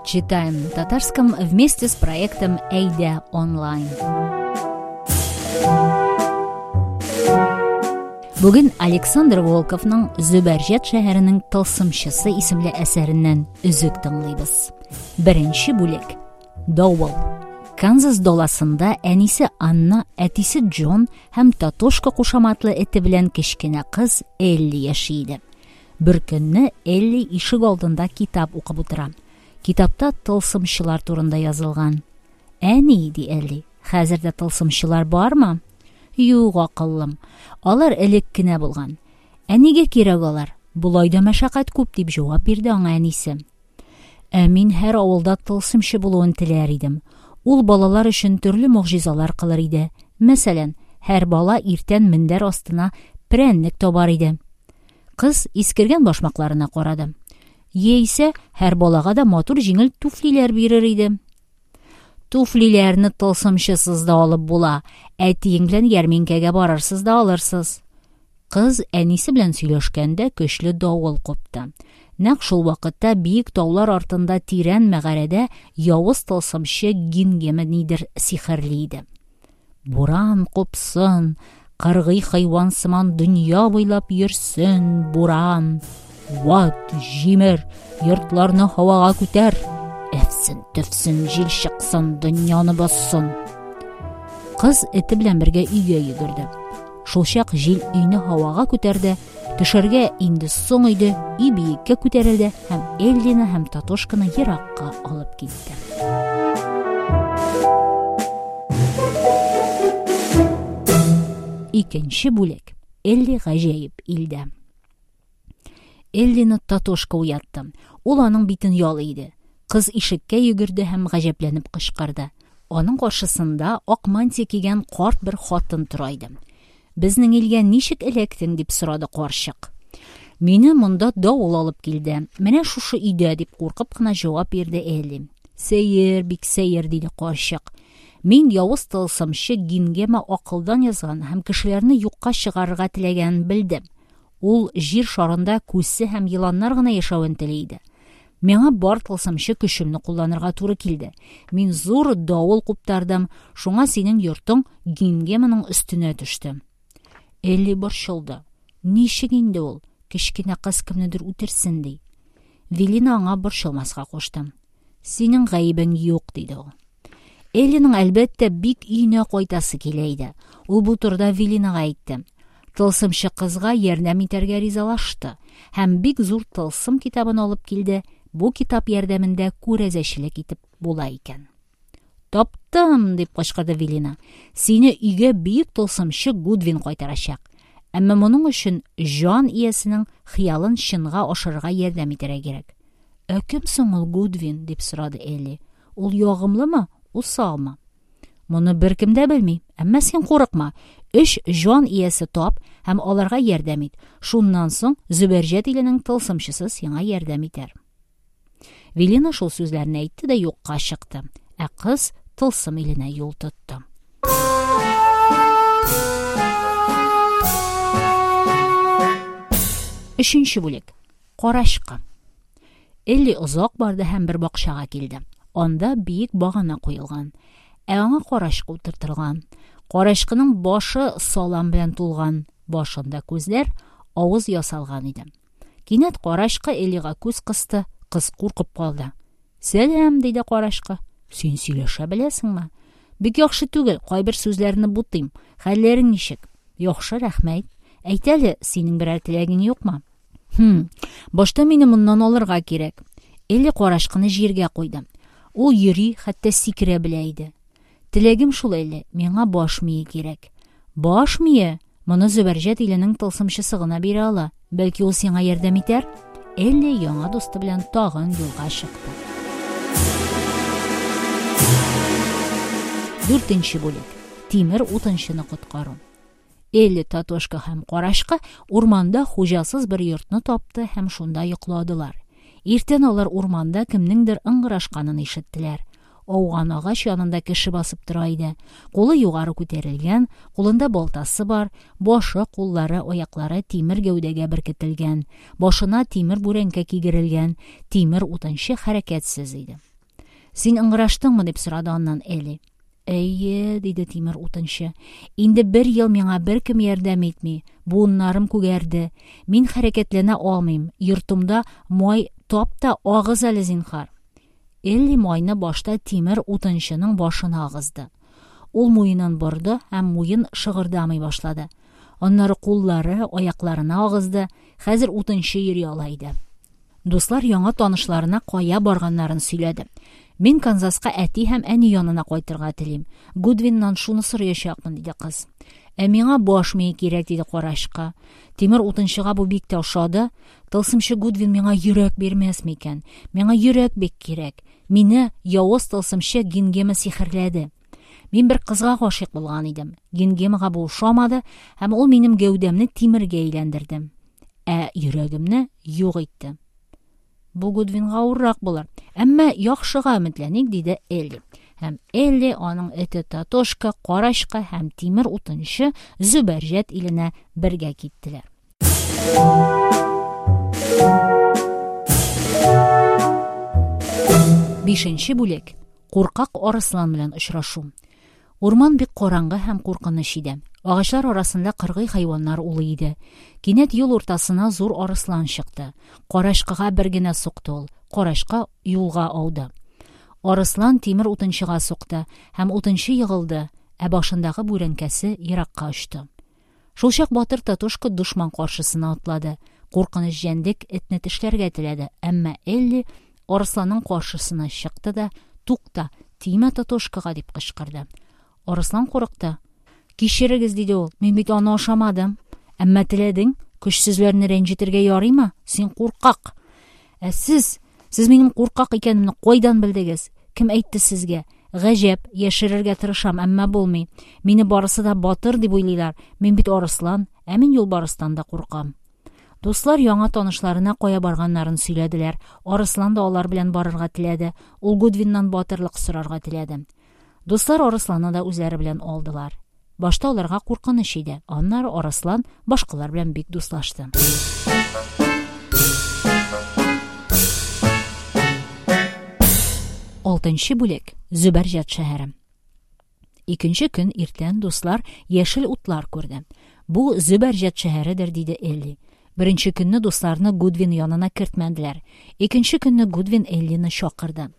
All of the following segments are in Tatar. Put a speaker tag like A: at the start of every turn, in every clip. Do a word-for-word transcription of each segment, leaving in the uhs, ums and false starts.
A: Читаем на татарском вместе с проектом Әйдә онлайн. Бүген Александр Волковның Зөбәрҗәт шәһәренең тылсымчысы исемле әсәреннән өзек тыңлыйбыз. Беренче бүлек. Давыл. Канзас даласында әнисе Анна, әтисе Джон һәм Татошка кушаматлы эте белән кечкенә кыз Элли яши иде. Бер көнне Элли ишек алдында китап укып утыра. Китапта тылсымчылар турында язылган. Әни, ди Элли, хәзер дә тылсымчылар бармы? Юк, акыллым. Алар элек кенә булган. Ә нигә кирәк алар? Болай да мәшәкать күп, дип җавап бирде аңа әнисе. Ә мин һәр авылда тылсымчы булуын теләр идем. Ул балалар өчен төрле могҗизалар кылыр иде. Мәсәлән, һәр бала иртән мендәр астына прәннек табар иде. Кыз искергән башмакларына карады. Яисә һәр балага да матур җиңел туфлиләр бирер иде. Туфлиләрне тылсымчысыз да алып була. Әтиең белән ярминкәгә барырсыз да алырсыз. Кыз әнисе белән сөйләшкәндә көчле давыл купты. Нәкъ шул вакытта биек таулар артында тирән мәгарәдә явыз тылсымчы Гингема нидер сихерли иде. Буран купсын, кыргый хайван сыман дөнья буйлап йөрсен, буран. Ват, җимер, йортларны һавага күтәр. Әфсен, төфсен, җил чыксын, дөньяны бассын. Кыз эте белән бергә өйгә йөгерде. Шулчак җил өйне һавага күтәрде. Төшәргә инде соң иде, өй биеккә күтәрелде һәм Эллины һәм Татошканы еракка алып китте. Икенче бүлек. Элли гаҗәеп илдә. Эллины Татошка уятты. Ул аның битен ялый иде. Кыз ишеккә йөгерде һәм гаҗәпләнеп кычкырды. Аның каршысында ак мантия кигән карт бер хатын тора иде. Безнең илгә ничек эләктең, дип сорады карчык. Мине монда давыл алып килде. Менә шушы өйдә, дип куркып кына җавап бирде Элли. Сәер, бик сәер, диде карчык. Мин явыз тылсымчы Гингема акылдан язган һәм кешеләрне юкка чыгарырга теләгәнен белдем. Ул җир шарында күсе һәм еланнар гына яшәвен тели иде. Миңа бар тылсымчы көчемне кулланырга туры килде. Мин зур давыл куптардым, шуңа синең йортың Гингеманың өстенә төште. Элли борчылды. Ничек инде ул? Кечкенә кыз кемнедер үтерсен ди. Велина аңа борчылмаска кушты. Синең гаебең юк, диде ул. Эллиның әлбәттә бик өенә кайтасы килә иде. Ул бу турыда Велинага әйтте. Тылсымчы кызга ярдәм итәргә ризалашты һәм бик зур тылсым китабын алып килде. Бу китап ярдәмендә күрәзәчелек итеп була икән. Таптым, дип кычкырды Велина. Сине өйгә бөек тылсымчы Гудвин кайтарачак. Әмма моның өчен җан иясенең хыялын чынга ашырырга ярдәм итәргә кирәк. Ә кем соң ул Гудвин, дип сорады Элли. Ул ягымлымы, усалмы? Моны беркем дә белми. Әмма син курыкма. Өч җан иясе тап һәм аларга ярдәм ит. Шуннан соң Зөбәрҗәт иленең тылсымчысы сиңа ярдәм итәр. Велина шул сүзләрне әйтте дә юкка чыкты. Ә кыз тылсым иленә юл тотты. Өченче бүлек. Карачкы. Элли озак барды һәм бер бакчага килде. Анда биек багана куелган. Ә аңа карачкы утыртылган. Карачкының башы салам белән тулган. Башында күзләр, авыз ясалган иде. Кинәт карачкы Эллига күз кысты. Кыз куркып калды. Сәлам, диде карачкы. Син сөйләшә беләсеңме? Бик яхшы түгел, кайбер сүзләрне бутыйм. Хәлләрең ничек? Яхшы, рәхмәт. Әйт әле, синең берәр теләгең юкмы? Хм, башта мине моннан алырга кирәк. Элли карачкыны җиргә куйды. Ул йөри, хәтта сикерә белә иде. Теләгем шул, Элли, миңа баш мие кирәк. Баш мие? Моны Зөбәрҗәт иленең тылсымчысы гына бирә ала. Бәлки ул сиңа ярдәм итәр? Элли яңа дусты белән тагын юлга чыкты. Дүртенче бүлек. Тимер утынчыны коткару. Элли, Татошка һәм Карачкы урманда хуҗасыз бер йортны тапты һәм шунда йокладылар. Иртән алар урманда кемнеңдер ыңгырашканын ишеттеләр. Ауган агач янында кеше басып тора иде. Кулы югары күтәрелгән, кулында балтасы бар, башы, куллары, аяклары тимер гәүдәгә беркетелгән, башына тимер бүрәнкә кигерелгән, тимер утынчы хәрәкәтсез иде. «Син ыңгыраштыңмы?» – дип сорады аннан Элли. «Әйе», – диде тимер утынчы. «Инде бер ел миңа беркем ярдәм итми. Буыннарым күгәрде. Мин хәрәкәтләнә алмыйм. Йортымда май тап та агыз әле, зинһар». Элли майны башта тимер утынчының башына агызды. Ул муенын борды һәм муен шыгырдамый башлады. Аннары куллары, аякларына агызды. Хәзер утынчы йөри ала иде. Дуслар яңа танышларына кая барганнарын сөйләде. «Мин Канзаска әти һәм әни янына кайтырга телим. Гудвиннан шуны сораячакмын», – диде кыз. «Ә миңа баш мие кирәк», – диде карачкы. Тимер утынчыга бу бик тә ошады. «Тылсымчы Гудвин миңа йөрәк бирмәс микән? Миңа йөрәк бик кирәк. Мине явыз тылсымчы Гингема сихерләде. Мин бер кызга гашыйк булган идем. Гингемага бу ошамады, һәм ул минем гәүдәмне тимергә әйләндерде. Ә йөрәгемне юк итте. Бу Гудвинга авыррак булыр. Әмма яхшыга өметләник», – диде Элли. Һәм Элли, аның эте Татошка, карачкы һәм тимер утынчы Зөбәрҗәт иленә бергә киттеләр. Бишенче бүлек. Куркак арыслан белән очрашу. Урман бик караңгы һәм куркыныч иде. Агачлар арасында кыргый хайваннар улый иде. Кинәт юл уртасына зур арыслан чыкты. Карачкыга бер генә сукты ул. Карачкы юлга ауды. Арыслан тимер утынчыга сукты, һәм утынчы егылды, ә башындагы бүрәнкәсе еракка очты. Шулчак батыр Татошка дошман каршысына атлады. Куркыныч җәнлек этне тешләргә теләде, әмма Элли арысланның каршысына чыкты да: «Тукта, тимә Татошкага!» – дип кычкырды. Арыслан курыкты. «Кичерегез», – диде ул, – «мин бит аны ашамадым». «Әмма теләдең, көчсезләрне рәнҗетергә ярыймы? Син куркак!» «Ә сез, сез минем куркак икәнемне кайдан белдегез? Кем әйтте сезгә? Гаҗәп, яшерергә тырышам, әмма булмый. Мине барысы да батыр дип уйлыйлар. Мин бит арыслан, ә мин юлбарыстан да куркам». Дуслар яңа танышларына кая барганнарын сөйләделәр. Арыслан да алар белән барырга теләде. Ул Гудвиннан батырлык сорарга теләде. Дуслар арысланны да үзләре белән алдылар. Башта аларга куркыныч иде. Аннары арыслан башкалар белән бик дуслашты. Алтынчы бүлек. Зөбәрҗәт шәһәре. Икенче көн иртән дуслар яшел утлар күрде. «Бу Зөбәрҗәт шәһәредер», – диде Элли. Беренче көнне дусларны Гудвин янына кертмәделәр. Икенче көнне Гудвин Эллины чакырды.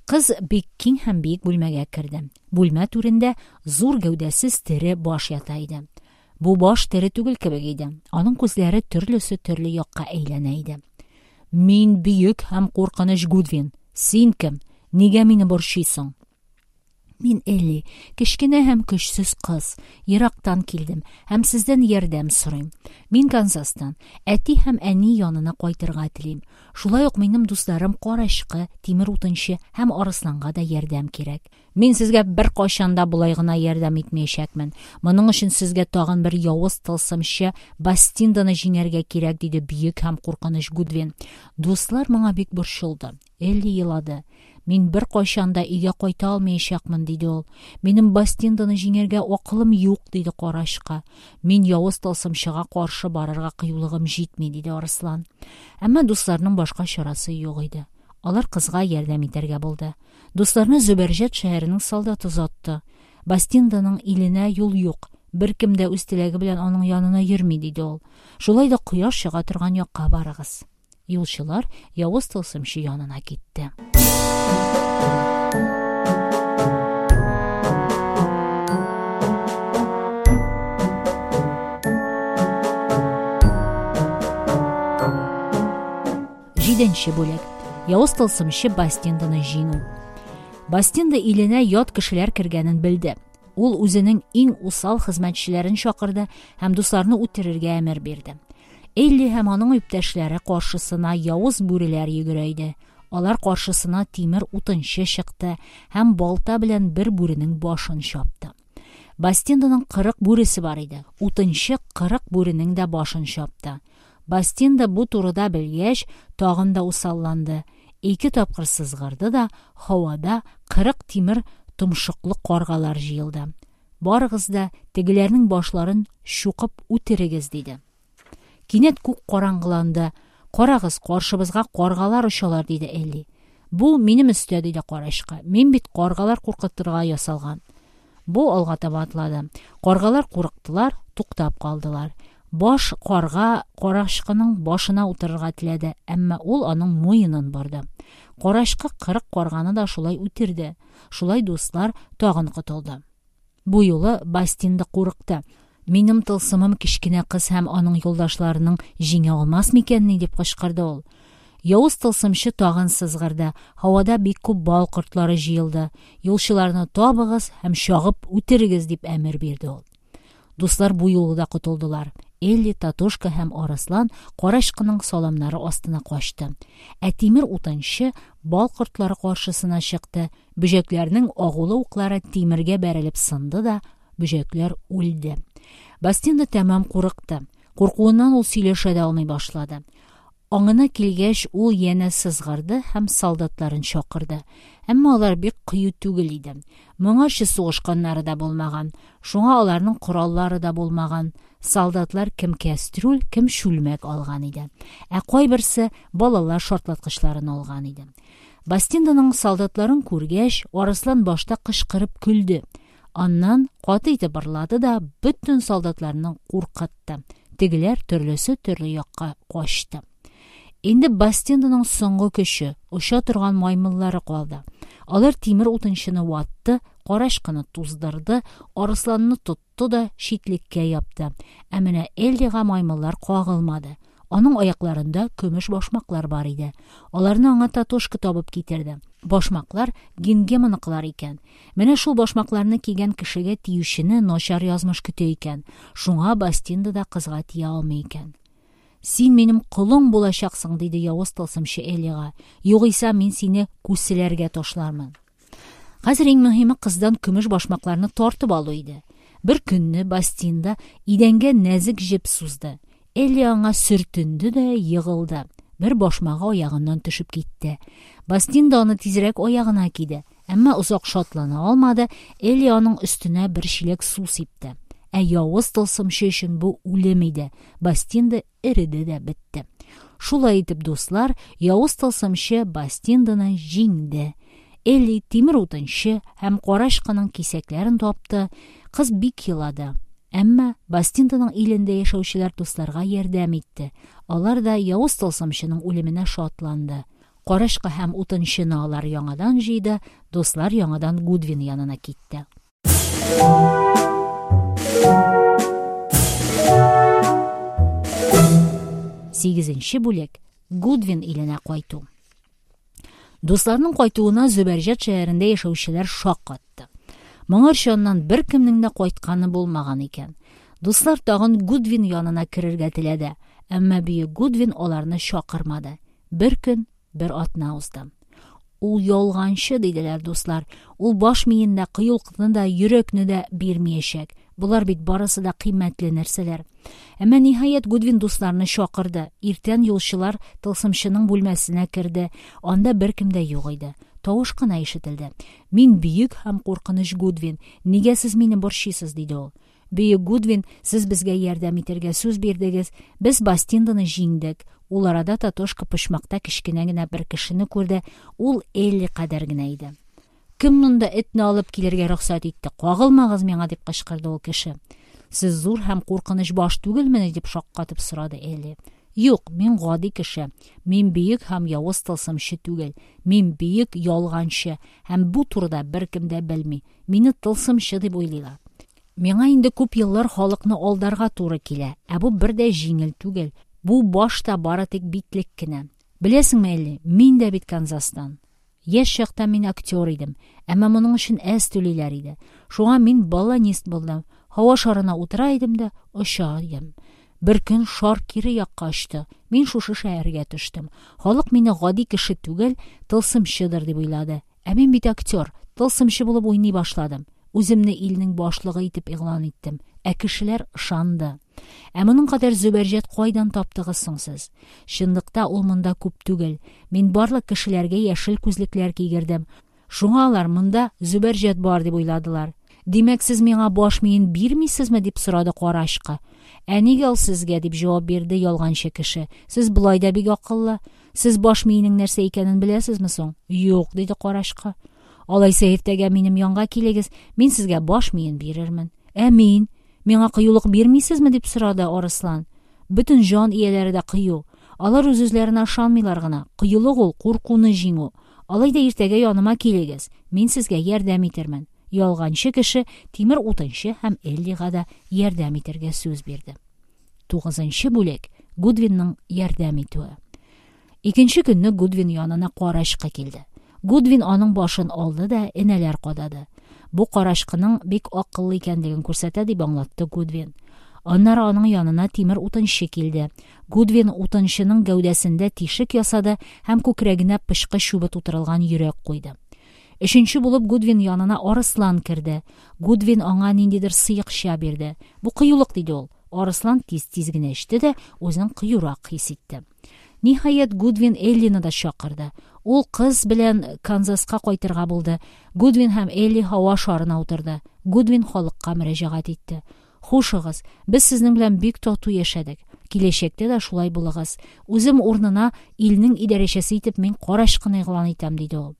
A: Кыз бик киң һәм биек бүлмәгә керде. Бүлмә түрендә зур гәүдәсез тере баш ята иде. Бу баш тере түгел кебек иде. Аның күзләре төрлесе төрле якка әйләнә иде. «Мин бөек һәм куркыныч Гудвин. Син кем? Нигә мине борчыйсың?» «Мин Элли, кечкенә һәм көчсез кыз. Ерактан килдем һәм сездән ярдәм сорыйм. Мин Канзастан. Әти һәм әни янына кайтырга телим. Шулай ук минем дусларым карачкы, тимер утынчы һәм арысланга да ярдәм кирәк. Мин сезгә беркайчан да болай гына ярдәм итмәячәкмен. Моның өчен сезгә тагын бер явыз тылсымчы Бастинданы җиңәргә кирәк», – диде бөек һәм куркыныч Гудвин. Дуслар моңа бик борчылды. Элли елады. «Мин беркайчан да өйгә кайта алмаячакмын», – диде ул. «Минем Бастинданы җиңәргә акылым юк», – диде карачкы. «Мин явыз тылсымчыга каршы барырга кыюлыгым җитми», – диде арыслан. Әмма дусларның башка чарасы юк иде. Алар кызга ярдәм итәргә булды. Дусларны Зөбәрҗәт шәһәренең солдаты озатты. «Бастинданың иленә юл юк. Беркем дә үз теләге белән аның янына йөрми», – диде ул. «Шулай да кояш чыга торган якка барыгыз». Юлчылар явыз тылсымчы янына китте. Җиденче бүлек. Явыз тылсымчы Бастинданы җиңү. Бастинда иленә ят кешеләр кергәнен белде. Ул үзенең иң усал хезмәтчеләрен чакырды һәм дусларны үтерергә әмер бирде. Элли һәм аның иптәшләре каршысына явыз бүреләр йөгерә иде. Алар каршысына тимер утынчы чыкты һәм балта белән бер бүренең башын чапты. Бастинданың кырык бүресе бар иде. Утынчы кырык бүренең дә башын чапты. Бастинда бу турыда белгәч, тагын да усалланды. Ике тапкыр сызгырды да, һавада кырык тимер томшыклы каргалар җыелды. Барыгыз да тегеләрнең башларын чукып үтерегез, диде. Кинәт күк караңгыланды. Карагыз, каршыбызга каргалар очалар, диде Элли. Бу минем өстә, диде карачкы. Мин бит каргалар куркытырга ясалган. Бу алга таба атлады. Каргалар курыктылар, туктап калдылар. Баш карга карачкының башына утырырга теләде, әмма ул аның муенын борды. Карачкы кырык карганы да шулай үтерде. Шулай дуслар тагын котылды. Бу юлы Бастинда курыкты. Минем тылсымым кечкенә кыз һәм аның юлдашларының җиңә алмас микәнни, дип кычкырды ул. Явыз тылсымчы тагын сызгырды. Һавада бик күп бал кортлары җыелды. Юлчыларны табыгыз һәм чагып үтерегез, дип әмер бирде ул. Дуслар бу юлы да котылдылар. Элли, Татошка һәм Арыслан карачкының саламнары астына качты. Ә тимер утынчы бал кортлары каршысына чыкты. Бөҗәкләрнең агулы уклары тимергә бәрелеп сынды да, бөҗәкләр үлде. Бастинда тәмам курыкты. Куркуыннан ул сөйләшә дә алмый башлады. Аңына килгәч, ул янә сызгырды һәм солдатларын чакырды. Әмма алар бик кыю түгел иде. Моңарчы сугышканнары да булмаган. Шуңа аларның кораллары да булмаган. Солдатлар кем кәстрүл, кем чүлмәк алган иде. Ә кайберсе балалар шартлаткычларын алган иде. Бастинданың солдатларын күргәч, Арыслан башта кычкырып көлде. Аннан каты итеп ырлады да бөтен солдатларны куркытты. Тегеләр төрлесе төрле якка качты. Инде Бастинданың соңгы көче, оча торган маймыллары калды. Алар тимер утынчыны ватты, карачкыны туздырды, арысланны тотты да читлеккә япты. Ә менә Эллига маймыллар кагылмады. Аның аякларында көмеш башмаклар бар иде. Аларны аңа Татошка табып китерде. Башмаклар Гингеманыкылар икән. Менә шул башмакларны кигән кешегә тиючене начар язмыш көтә икән. Шуңа Бастинда да кызга тия алмый икән. Син минем колың булачаксың, диде явыз тылсымчы Эллига. Югыйсә мин сине күселәргә ташлармын. Хәзер иң мөһиме кыздан көмеш башмакларны тартып алу иде. Бер көнне Бастинда идәнгә нәзек җеп сузды. Элли аңа сөртенде дә егылды. Бер башмагы аягыннан төшеп китте. Бастинда аны тизрәк аягына киде. Әмма озак шатлана алмады. Элли аның өстенә бер чиләк су сипте. Ә явыз тылсымчы өчен бу үлем иде. Бастинда эреде дә бетте. Шулай итеп, дуслар, явыз тылсымчы Бастинданы җиңде. Элли тимер утынчы һәм карачкының кисәкләрен тапты. Кыз бик елады. Әмма Бастинданың илендә яшәүчеләр дусларга ярдәм итте. Алар да явыз тылсымчының үлеменә шатланды. Карачкы һәм утынчыны алар яңадан җыйды, дуслар яңадан Гудвин янына китте. Сигезенче бүлек. Гудвин иленә кайту. Дусларның кайтуына Зөбәрҗәт шәһәрендә яшәүчеләр шаккатты. Моңарчы аннан беркемнең дә кайтканы булмаган икән. Дуслар тагын Гудвин янына керергә теләде, әмма бөек Гудвин аларны чакырмады. Бер көн, бер атна узды. Ул ялганчы, диделәр дуслар. Ул баш миендә кыюлыкны да, йөрәкне дә бирмәячәк. Болар бит барысы да кыйммәтле нәрсәләр. Әмма ниһаять Гудвин дусларны чакырды. Иртән юлчылар тылсымчының бүлмәсенә керде. Анда беркем дә юк иде. Тавыш кына ишетелде. Мин бөек һәм куркыныч Гудвин. Нигә сез мине борчыйсыз, диде ул. Бөек Гудвин, сез безгә ярдәм итәргә сүз бирдегез. Без Бастинданы җиңдек. Ул арада Татошка почмакта кечкенә генә бер кешене күрде. Ул Элли кадәр генә иде. Кем монда этне алып килергә рөхсәт итте? Кагылмагыз миңа, дип кычкырды ул кеше. Сез зур һәм куркыныч баш түгелмени, дип шаккатып сорады Элли. Юк, мин гади кеше. Мин бөек һәм явыз тылсымчы түгел. Мин бөек ялганчы һәм бу турыда беркем дә белми. Мине тылсымчы дип уйлыйлар. Миңа инде күп еллар халыкны алдарга туры килә, ә бу бер дә җиңел түгел. Бу баш та бары тик битлек кенә. Беләсеңме, Элли, мин дә бит Канзастан. Яшь чакта мин актер идем, әмма моның өчен әз түлиләр иде. Шуңа мин баллонист булдым. Һава шарына утыра идем дә оча идем. Бер көн шар кире якка очты. Мин шушы шәһәргә төштем. Халык мине гади кеше түгел, тылсымчыдыр дип уйлады. Ә мин бит актер, тылсымчы булып уйный башладым. Үземне илнең башлыгы итеп игълан иттем. Ә кешеләр ышанды. Ә моның кадәр зөбәрҗәт кайдан таптыгыз соң сез? Чынлыкта ул монда күп түгел. Мин барлык кешеләргә яшел күзлекләр кигердем. Шуңа алар монда зөбәрҗәт бар дип уйладылар. Димәк, сез миңа баш миен бирмисезме? дип сорады карачкы. Ә нигә ул сезгә? дип җавап бирде ялганчы кеше. Сез болай да бик акыллы. Сез баш миенең нәрсә икәнен беләсезме соң? Юк, диде карачкы. Алайса иртәгә минем янга килегез, мин сезгә баш миен бирермен. Ә мин? Миңа кыюлык бирмисезме? дип сорады арыслан. Бөтен җан ияләре дә кыю. Алар үз-үзләренә ышанмыйлар гына. Кыюлык ул куркуны җиңү. Алай да иртәгә яныма килегез. Мин сезгә ярдәм итермен. Ялганчы кеше тимер утынчы һәм Эллига да ярдәм итәргә сүз бирде. Тугызынчы бүлек. Гудвинның ярдәм итүе. Икенче көнне Гудвин янына карачкы килде. Гудвин аның башын алды да энәләр кадады. Бу карачкының бик акыллы икәнлеген күрсәтә, дип аңлатты Гудвин. Аннары аның янына тимер утынчы килде. Гудвин утынчының гәүдәсендә тишек ясады һәм күкрәгенә пычкы чүбе тутырылган йөрәк куйды. Өченче булып Гудвин янына арыслан керде. Гудвин аңа ниндидер сыекча бирде. Бу кыюлык, диде ул. Арыслан тиз-тиз генә эчте дә үзен кыюрак хис итте. Ниһаять, Гудвин Эллины да чакырды. Ул кыз белән Канзаска кайтырга булды. Гудвин һәм Элли һава шарына утырды. Гудвин халыкка мөрәҗәгать итте. Хушыгыз, без сезнең белән бик тату яшәдек. Киләчәктә дә шулай булыгыз. Үзем урынына илнең идарәчесе итеп мин карачкыны игълан итәм, диде ул.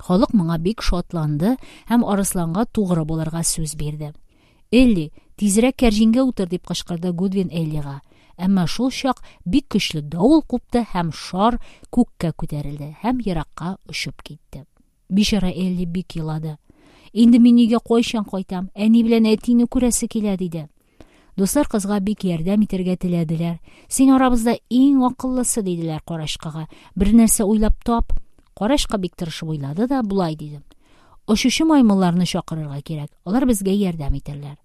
A: Халык моңа бик шатланды һәм арысланга тугры булырга сүз бирде. Элли, тизрәк кәрҗингә утыр, дип кычкырды Гудвин Эллига. Әмма шул чак бик көчле давыл купты һәм шар күккә күтәрелде һәм еракка очып китте. Бичара Элли бик елады. Инде мин өйгә кайчан кайтам? Әни белән әтине күрәсе килә, диде. Дуслар кызга бик ярдәм итәргә теләделәр. Син арабызда иң акыллысы, диделәр карачкыга. Бер нәрсә уйлап тап. Карачкы бик тырышып уйлады да болай диде. Очучы маймылларны чакырырга кирәк. Алар безгә ярдәм итәрләр.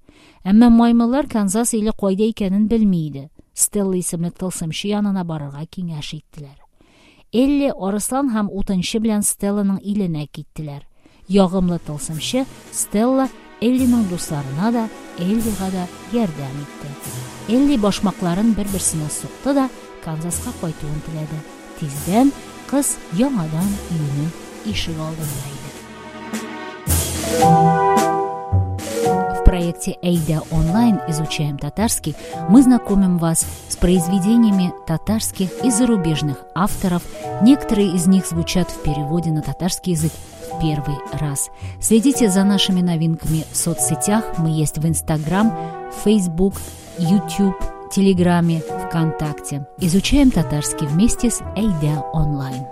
A: Әмма маймыллар Канзас иле кайда икәнен белми иде. Стелла исемле тылсымчы янына барырга киңәш иттеләр. Элли, арыслан һәм утынчы белән Стелланың иленә киттеләр. Ягымлы тылсымчы Стелла Эллиның дусларына да, Эллига да ярдәм итте. Элли башмакларын бер-берсенә сукты да Канзаска кайтуын теләде. Тиздән кыз яңадан өенең ишек алдында иде. В проекте «Әйдә онлайн. Изучаем татарский» мы знакомим вас с произведениями татарских и зарубежных авторов. Некоторые из них звучат в переводе на татарский язык в первый раз. Следите за нашими новинками в соцсетях. Мы есть в Инстаграм, Фейсбук, Ютуб, Телеграме, ВКонтакте. Изучаем татарский вместе с «Әйдә онлайн».